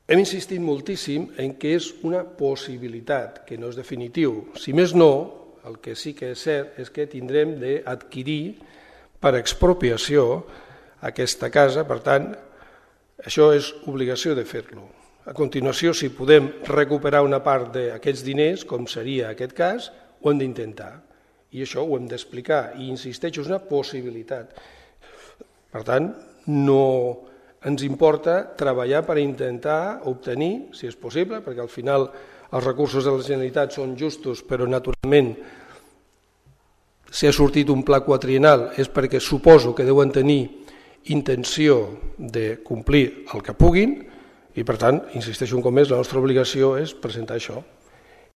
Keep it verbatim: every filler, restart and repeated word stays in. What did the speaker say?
hem insistit moltíssim en que és una possibilitat, que no és definitiu. Si més no, el que sí que és cert és que tindrem d'adquirir per expropiació aquesta casa, per tant, això és obligació de fer-lo. A continuació, si podem recuperar una part d'aquests diners, com seria aquest cas, ho hem d'intentar. I això ho hem d'explicar. I insisteixo, és una possibilitat. Per tant, no ens importa treballar per intentar obtenir, si és possible, perquè al final els recursos de la Generalitat són justos, però naturalment si ha sortit un pla quadriennal és perquè suposo que deuen tenir intenció de complir el que puguin i, per tant, insisteixo un cop més, la nostra obligació és presentar això.